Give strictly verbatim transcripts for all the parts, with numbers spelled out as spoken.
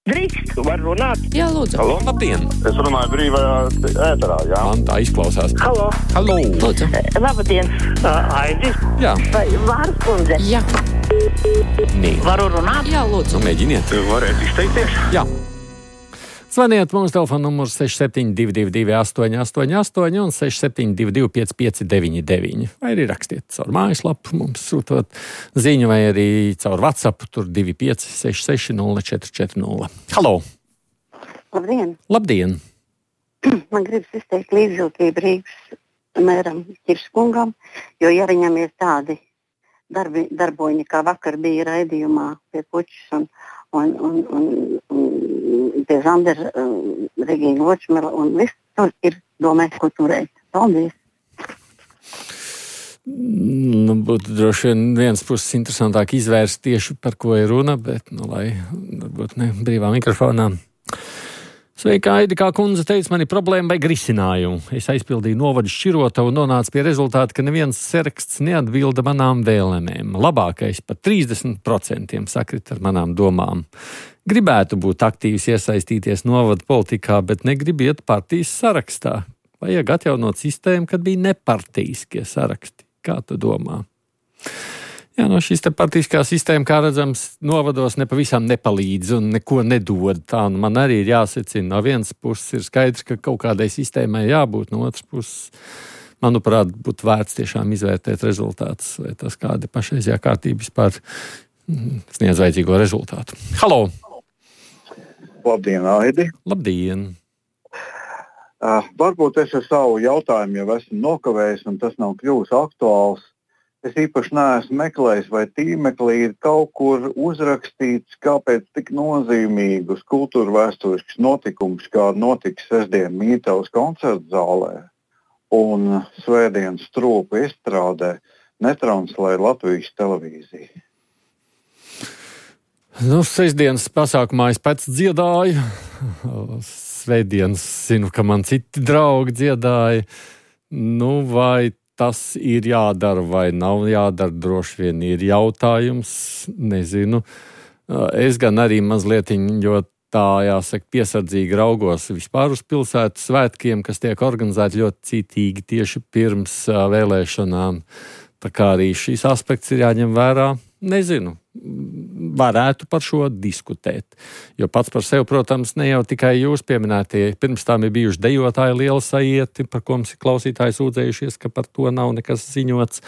Drīkst, var runāt? Jā, lūdzu. Halo, labdien! Es runāju brīvajā ēterā, jā. Man tā izklausās. Halo. Halo! Lūdzu. Labdien, Aidis. Jā. Vai Vārs kundze? Jā. Nē. Varu runāt? Jā, lūdzu. Nu, mēģiniet. Varētu izteikties? Jā. Zvaniet mums telefona numurs seši septiņi divi divi divi astoņi astoņi astoņi un seši septiņi divi divi pieci pieci deviņi deviņi. Vai arī rakstiet caur mājaslapu, mums sūtot ziņu, vai arī caur WhatsApp, tur divi pieci seši seši nulle četri četri nulle. Halo! Labdien! Labdien! Man gribas izteikt līdzjūtību Rīgas mēram Ķirskungam, jo ja viņam ir tādi darbi, darboņi, kā vakar bija raidījumā pie Puķis un, un, un, un, un pie Zandera, um, Regīna Vočmela un viss, tur ir domēt, ko turēt. Paldies! Nu, būtu droši vien viens puses interesantāk izvērst tieši par ko ir runa, bet, nu, lai varbūt ne brīvā mikrofonā. Sveika, Aidi, kā kundze teica, man ir problēma vajag risinājumu. Es aizpildīju novadu šķirotavu un nonācu pie rezultāta, ka neviens saraksts neatbilda manām vēlēmēm. Labākais pat trīsdesmit procenti sakrit ar manām domām. Gribētu būt aktīvs, iesaistīties novadu politikā, bet negribu iet partijas sarakstā. Vajag atjaunot sistēmu, kad bija nepartijiskie saraksti. Kā tu domā? Jā, no šīs te partiskā sistēma, kā redzams, novados nepavisam nepalīdz un neko nedod. Tā nu man arī ir jāsecina. No vienas puses ir skaidrs, ka kaut kādai sistēmai jābūt, no otras puses, manuprāt, būtu vērts tiešām izvērtēt rezultātus, vai tas kādi pašreizajā kārtība vispār sniedz vajadzīgo rezultātu. Halo! Labdien, Aidi! Labdien! Uh, varbūt es ar savu jautājumu jau esmu nokavējis un tas nav kļuvis aktuāls. Es īpaši neesmu meklējis, vai tīmeklī ir kaut kur uzrakstīts, kāpēc tik nozīmīgus kultūra vēsturisks notikums, kā notiks sestdien Mītavas koncerta zālē un svētdien Stropu izstrādē, netranslē Latvijas televīzija. Nu, sestdienas pasākumā es pats dziedāju. Svētdienas zinu, ka man citi draugi dziedāja. Nu, vai tas ir jādara vai nav jādara, droši vien ir jautājums, nezinu. Es gan arī mazlietiņ, jo tā, jāsaka, piesardzīgi raugos vispār uz pilsētu svētkiem, kas tiek organizēti ļoti citīgi tieši pirms vēlēšanām. Tā kā arī šīs aspekts ir jāņem vērā, nezinu. Varētu par šo diskutēt. Jo pats par sevi, protams, ne jau tikai jūs pieminētie. Pirms tām ir bijuši dejotāji liela sajieti, par ko mums ir klausītāji sūdzējušies, ka par to nav nekas ziņots.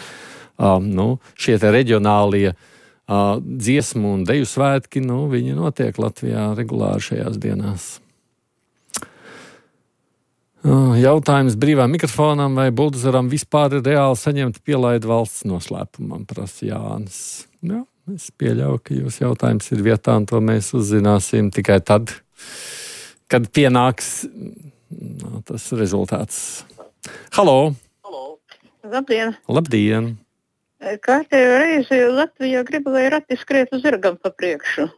Uh, nu, šie te reģionālie uh, dziesmu un deju svētki, nu, viņi notiek Latvijā regulāri šajās dienās. Uh, jautājums brīvā mikrofonam vai buldozeram vispār ir reāli saņemt pielaidu valsts noslēpumam, prasa Jānis. Jā. Es pieļauju, ka jūsu jautājums ir vietā, un to mēs uzzināsim tikai tad, kad pienāks no, tas rezultāts. Halo! Halo. Labdien! Labdien! Kārtējo reizi Latvijā grib, lai rati skriet uz zirgam pa priekšu.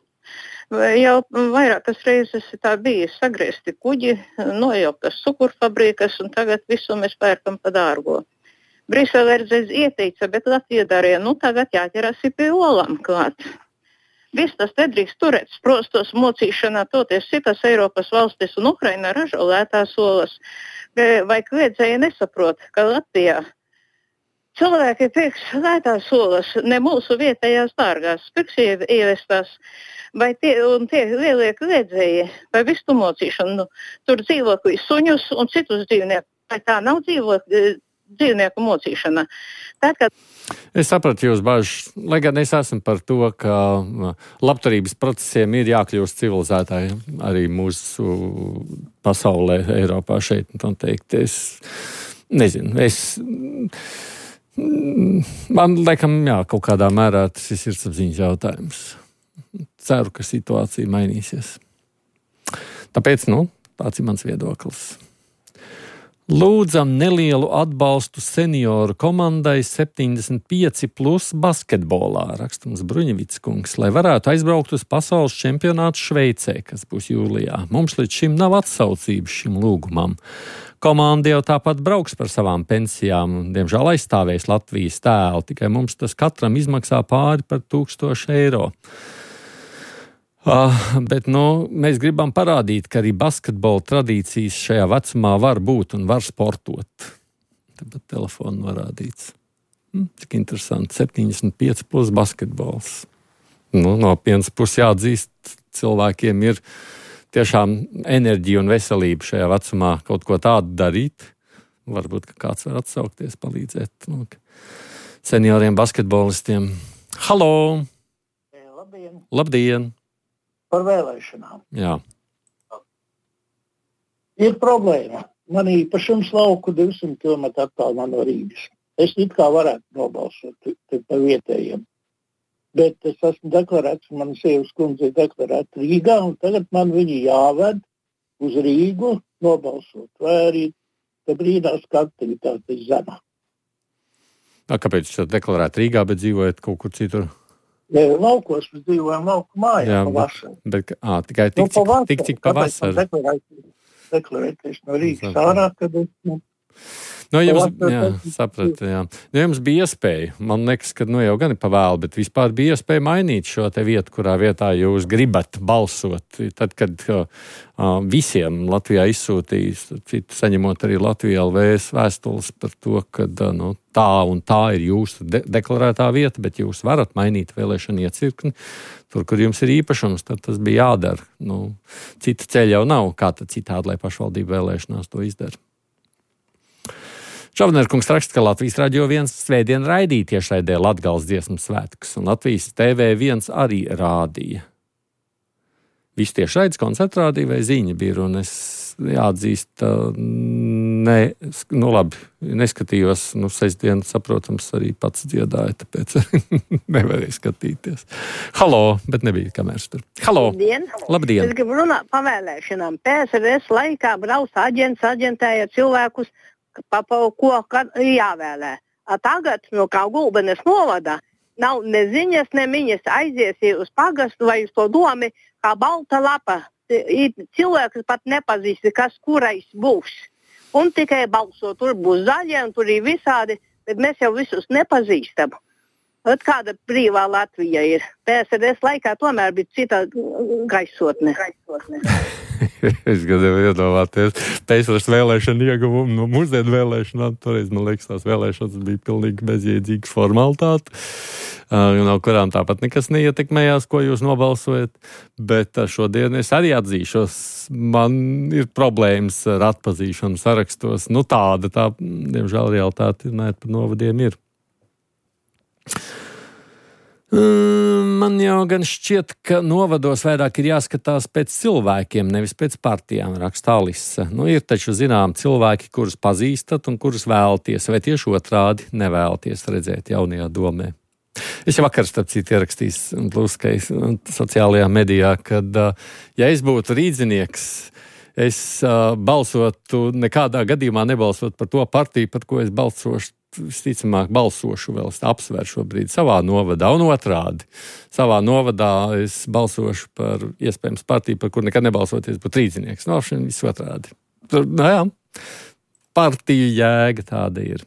Jau vairākas reizes tā bija sagriezti kuģi, nojauktas cukurfabrikas, un tagad visu mēs pērkam pa dārgo. Brisele reiz ieteica, bet Latvija darīja, nu tagad jāķeras pie olām klāt. Viss tas nedrīkst turēt sprostos mocīšanā, toties citas Eiropas valstis un Ukraina ražo lētās olas. Vai kliedzēji nesaprot, ka Latvijā cilvēki pirks lētās olas, ne mūsu vietējās dārgās, pirks ievestās, vai tie, un tie lielie kliedzēji, vai visu mocīšanu, nu, tur dzīvokļu suņus un citus dzīvniekus, vai tā nav dzīvokļu dzīvnieku mocīšana. Tad, kad... Es sapratu jūs bažas, lai gan es esmu par to, ka labturības procesiem ir jākļūst civilizētāji arī mūsu pasaulē, Eiropā šeit, un teikt, es nezinu, es man laikam, jā, kaut kādā mērā tas ir sirdsapziņas jautājums. Ceru, ka situācija mainīsies. Tāpēc, nu, tāds ir mans viedoklis. Lūdzam nelielu atbalstu senioru komandai septiņdesmit pieci plus basketbolā, rakstams Bruņevits kungs, lai varētu aizbraukt uz pasaules čempionātu Šveicē, kas būs jūlijā. Mums līdz šim nav atsaucības šim lūgumam. Komanda jau tāpat brauks par savām pensijām un, diemžēl, aizstāvēs Latvijas tēlu, tikai mums tas katram izmaksā pāri par tūkstošu eiro. Uh, bet nu, mēs gribam parādīt, ka arī basketbola tradīcijas šajā vecumā var būt un var sportot. Tāpat telefonu norādīts. Hm, cik interesanti, septiņdesmit pieci plus basketbols. Nu, no vienas puses jāatzīst, cilvēkiem ir tiešām enerģija un veselība šajā vecumā kaut ko tādu darīt. Varbūt, ka kāds var atsaukties, palīdzēt nu, senioriem basketbolistiem. Halo! Labdien! Labdien! Par vēlēšanām. Jā. Ir problēma. Man īpašums lauku divsimt kilometru attālumā no Rīgas. Es it kā varētu nobalsot par vietējiem. Bet es esmu deklarēts, man sievas kundze ir deklarēta Rīgā, un tagad man viņi jāved uz Rīgu nobalsot. Vai arī te brīdās, ka aktivitāte ir zema. Kāpēc jūs deklarējat Rīgā, bet dzīvojat kaut kur citur? Ja laukos mēs dzīvojam lauku mājā jā, pavasarī. Bet, bet, ā, tikai tik, nu, pavasar, tik, tik pavasarī. Deklarēties no Rīgas ārā, kad es... Nu, Nu, jums, jā, sapratu, jā. Nu, jums bija iespēja, man liekas, ka nu, jau gan ir pavēlu, bet vispār bija iespēja mainīt šo te vietu, kurā vietā jūs gribat balsot. Tad, kad uh, visiem Latvijā izsūtīs, citu saņemot arī Latvijā L V vēstules par to, ka uh, nu, tā un tā ir jūsu de- deklarētā vieta, bet jūs varat mainīt vēlēšanu iecirkni. Tur, kur jums ir īpašums, tad tas bija jādara. Nu, cita ceļa jau nav, kā tad citādi, lai pašvaldību vēlēšanās to izdara. Čavnerkungs raksta, ka Latvijas radio viens svētdien raidīja tiešraidē Latgales dziesmu svētkus, un Latvijas T V viens arī rādīja. Viss tiešraides koncerts rādīja vai ziņa bija, un es jāatzīst, ne, nu labi, neskatījos, nu sestdien, saprotams, arī pats dziedāja, tāpēc nevarēju skatīties. Halo, bet nebija kameras tur. Halo! Labdien! Labdien! Es gribu runāt par vēlēšanām. P S R S laikā brauc aģents, aģentēja cilvēkus, pa, pa ko jāvēlē. A tagad no kā Gulbenes novada nav ne ziņas, ne miņas aiziesi uz pagastu vai uz to domi, kā balta lapa. Cilvēks pat nepazīst, kas kurais būs. Un tikai balso, tur būs zaļie un tur ir visādi, bet mēs jau visus nepazīstam. At kāda brīvā Latvija ir. P S R S laikā tomēr bija cita gaisotne. gaisotne. Es gribēju iedomāties P S R S vēlēšanu ieguvumu no mūsdienu vēlēšanām. Toreiz, man liekas, tās vēlēšanas bija pilnīgi bezjēdzīgas formalitāte, no kurām tāpat nekas neietekmējās, ko jūs nobalsojat. Bet šodien es arī atzīšos, man ir problēmas ar atpazīšanu sarakstos. Nu tāda, tā, diemžēl, realitāte runājot par novadiem ir. Man jau gan šķiet, ka novados vairāk ir jāskatās pēc cilvēkiem, nevis pēc partijām, raksta Alisa. Nu, ir taču zinām cilvēki, kurus pazīstat un kurus vēlaties, vai tieši otrādi nevēlaties redzēt jaunajā domē. Es jau vakar, starp citu, ierakstījis Bluskai sociālajā medijā, kad, ja es būtu rīdzinieks, es balsotu, nekādā gadījumā nebalsot par to partiju, par ko es balsošu. Visticamāk, balsošu vēl, es apsveru šobrīd savā novadā un otrādi. Savā novadā es balsošu par iespējams partiju, par kur nekad nebalsoties, bet rīdzinieks. No šiem viss otrādi. Tur, nu jā, partiju jēga tāda ir.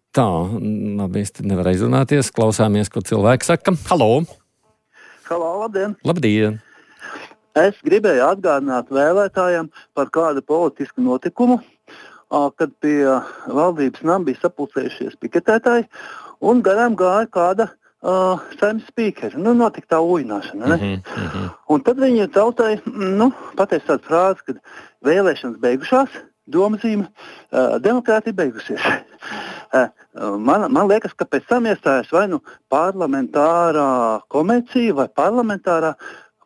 Tā, labi, es te nevaru aizrunāties, klausāmies, ko cilvēki saka. Halo! Halo, labdien! Labdien! Es gribēju atgādināt vēlētājiem par kādu politisku notikumu, kad pie valdības nama bija sapulcējušies piketētāji un garām gāja kāda uh, saimnes spīkeri. Nu, notika tā ujināšana, ne? Mm-hmm, mm-hmm. Un tad viņi tautai, nu, pateica tādu frāzi, ka vēlēšanas beigušās, domazīme, uh, demokrātija beigusies. uh, man, man liekas, ka pēc tam iestājas vai nu parlamentārā komercija vai parlamentārā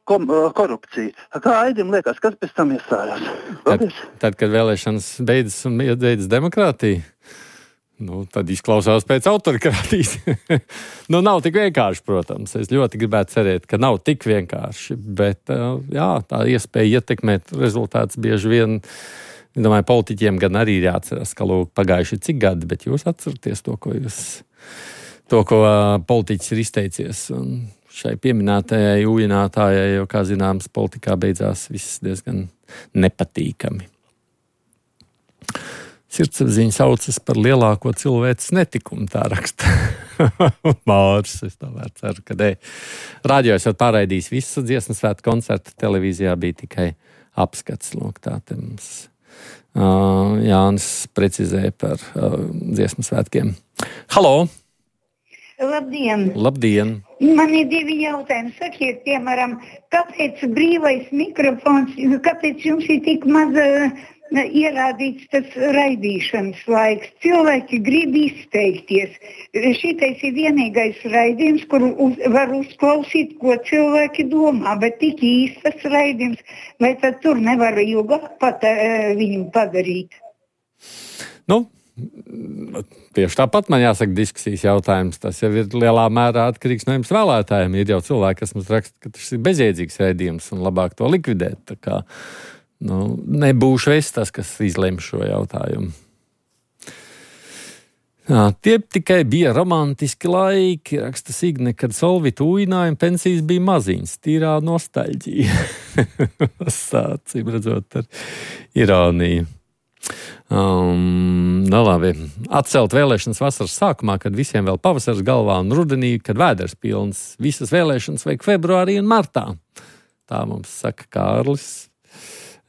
Kom, korupcija. Kā Aidim liekas, kas pēc tam iestājās? Tad, tad, kad vēlēšanas beidzas un beidzas demokrātija, nu, tad izklausās pēc autorikrātijas. Nu, nav tik vienkārši, protams. Es ļoti gribētu cerēt, ka nav tik vienkārši, bet, jā, tā iespēja ietekmēt rezultātus bieži vien, es domāju, politiķiem gan arī ir jāatceras, ka lūk, pagājuši cik gadi, bet jūs atceraties to, ko jūs, to, ko politiķis ir izteicies, un šai pieminētajai ujinātājai, jo, kā zināms, politikā beidzās viss diezgan nepatīkami. Sirdsapziņa saucas par lielāko cilvēces netikumu, tā raksta Mārs, es tomēr ceru, ka ne. Radio esat pārraidījis visu dziesmu svētku koncertu, televīzijā bija tikai apskats. Lūk, tā te mums uh, Jānis precizēja par uh, dziesmu svētkiem. Halo! Labdien! Labdien! Man ir divi jautājumi. Sakiet, piemēram, kāpēc brīvais mikrofons, kāpēc jums ir tik maz uh, ierādīts tas raidīšanas laiks? Cilvēki grib izteikties. Šitais ir vienīgais raidījums, kur uz, var uzklausīt, ko cilvēki domā, bet tik īstas raidījums, vai tad tur nevar ilgāk pat uh, viņu padarīt? Nu, tieši tāpat man jāsaka diskusijas jautājums. Tas jau ir lielā mērā atkarīgs no jums vēlētājiem. Ir jau cilvēki, kas mums raksta, ka tas ir bezjēdzīgs raidījums un labāk to likvidēt. Tā kā, nu, nebūšu es tas, kas izlem šo jautājumu. Jā, tie tikai bija romantiski laiki, raksta Signe, kad Solvita ujināja un pensijas bija maziņas, tīrā nostalģija. Sācīm redzot ar ironiju. Um, no labi. Atcelt vēlēšanas vasaras sākumā, kad visiem vēl pavasars galvā un rudenī, kad vēders pilns. Visas vēlēšanas vajag februārī un martā. Tā mums saka Kārlis.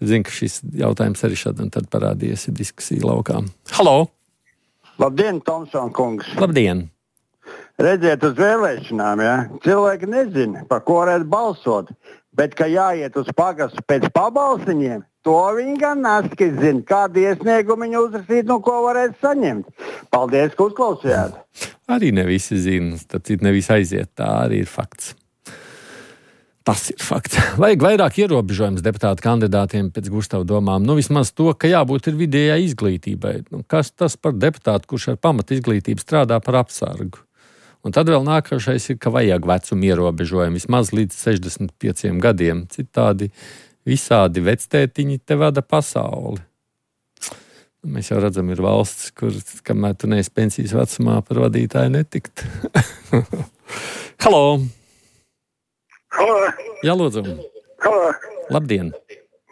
Zinu, ka šis jautājums arī šad un tad parādījies diskusija laukā. Halo! Labdien, Tomson kungs! Labdien! Redziet uz vēlēšanām, ja? Cilvēki nezina, par ko varētu balsot, bet ka jāiet uz pagastu pēc pabalsiņiem, to viņi gan naski zina, kādu iesniegumu viņi uzrakstīt, no ko varētu saņemt. Paldies, ka uzklausījāt. Arī ne visi zina, tad ne visi aiziet, tā arī ir fakts. Tas ir fakts. Vajag vairāk ierobežojums deputātu kandidātiem pēc Gustava domām. Nu, vismaz to, ka jābūt ir vidējai izglītībai. Nu, kas tas par deputātu, kurš ar pamatu izglītību strādā par apsargu? Un tad vēl nākošais ir, ka vajag vecumu ierobežojumu vismaz līdz sešdesmit pieciem gadiem. Citādi visādi vectētiņi te vada pasauli. Mēs jau redzam, ir valsts, kur, kamēr tu neesi pensijas vecumā, par vadītāju netikt. Halo! Halo! Jā, lūdzu! Halo! Labdien!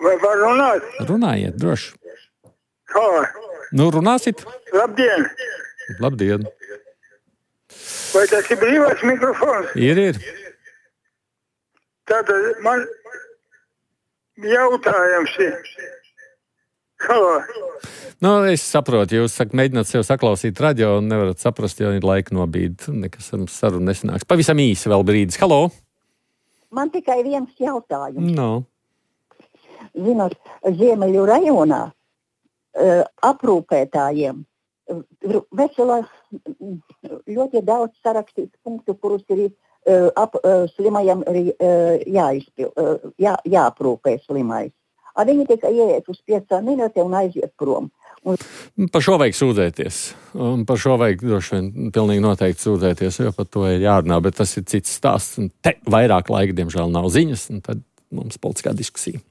Vai var runāt? Runājiet, droši. Halo! Nu, runāsit? Labdien! Labdien! Vai tas ir brīvais mikrofons? Ir, ir. Tātad man jautājums ir. Halo. Nu, es saprotu, jūs sak, mēģināt sev saklausīt radio un nevarat saprast, jo ir laika nobīd. Nekas ar mums sarunu nesanāks. Pavisam īsi vēl brīdis. Halo. Man tikai viens jautājums. No. Zinot, Ziemeļu rajonā uh, aprūpētājiem vesela ļoti daudz sarakstīts punktu, kurus ir uh, ap, uh, slimajam uh, jāizpil, uh, jā, jāaprūpē slimais. A viņi tikai ieiet uz piecām minūtēm un aiziet prom. Un... Par šo vajag sūdzēties. Un par šo vajag droši vien pilnīgi noteikti sūdzēties, jo par to ir jārunā, bet tas ir cits stāsts. Un te vairāk laika, diemžēl, nav ziņas, un tad mums politiskā diskusija.